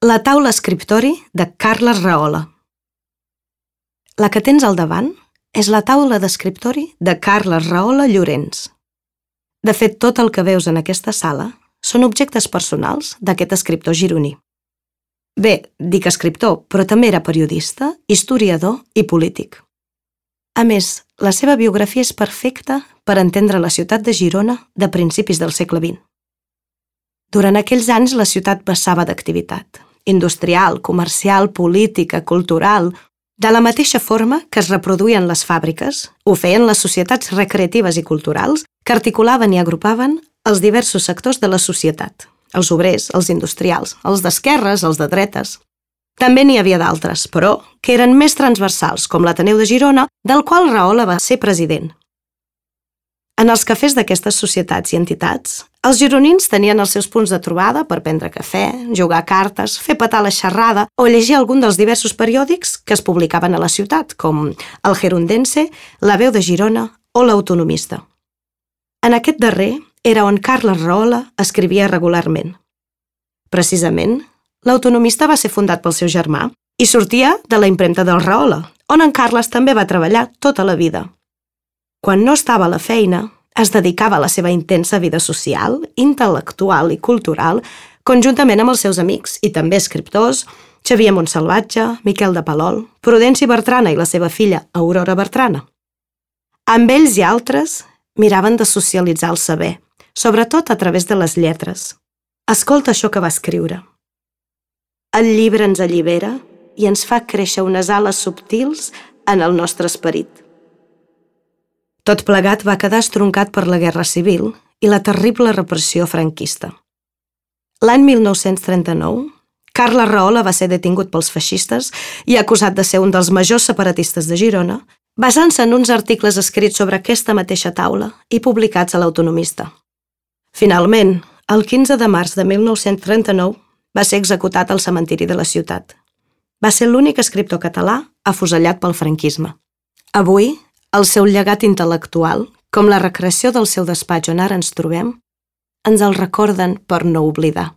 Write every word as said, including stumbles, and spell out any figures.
La taula escriptori de Carles Rahola. La que tens al davant és la taula d'escriptori de Carles Rahola Llorens. De fet, tot el que veus en aquesta sala són objectes personals d'aquest escriptor gironí. Bé, dic escriptor, però també era periodista, historiador i polític. A més, la seva biografia és perfecta per entendre la ciutat de Girona de principis del segle vint. Durant aquells anys la ciutat vessava d'activitat, industrial, comercial, política, cultural. De la mateixa forma que es reproduïen les fàbriques, ho feien les societats recreatives i culturals que articulaven i agrupaven els diversos sectors de la societat, els obrers, els industrials, els d'esquerres, els de dretes. També n'hi havia d'altres, però, que eren més transversals, com l'Ateneu de Girona, del qual Rahola va ser president. En els cafès d'aquestes societats i entitats, els gironins tenien els seus punts de trobada per prendre cafè, jugar a cartes, fer petar la xerrada o llegir algun dels diversos periòdics que es publicaven a la ciutat, com el Gerundense, la Veu de Girona o l'Autonomista. En aquest darrer era on Carles Rahola escrivia regularment. Precisament, l'Autonomista va ser fundat pel seu germà i sortia de la impremta del Rahola, on en Carles també va treballar tota la vida. Quan no estava a la feina, es dedicava a la seva intensa vida social, intel·lectual i cultural, conjuntament amb els seus amics i també escriptors, Xavier Montsalvatge, Miquel de Palol, Prudenci Bertrana i la seva filla Aurora Bertrana. Amb ells i altres miraven de socialitzar el saber, sobretot a través de les lletres. Escolta això que va escriure. El llibre ens allibera i ens fa créixer unes ales subtils en el nostre esperit. Tot plegat va quedar estroncat per la Guerra Civil i la terrible repressió franquista. L'any mil nou-cents trenta-nou, Carles Rahola va ser detingut pels feixistes i acusat de ser un dels majors separatistes de Girona, basant-se en uns articles escrits sobre aquesta mateixa taula i publicats a l'Autonomista. Finalment, el quinze de març de mil nou-cents trenta-nou, va ser executat al cementiri de la ciutat. Va ser l'únic escriptor català afusellat pel franquisme. Avui, el seu llegat intel·lectual, com la recreació del seu despatx on ara ens trobem, ens el recorden per no oblidar.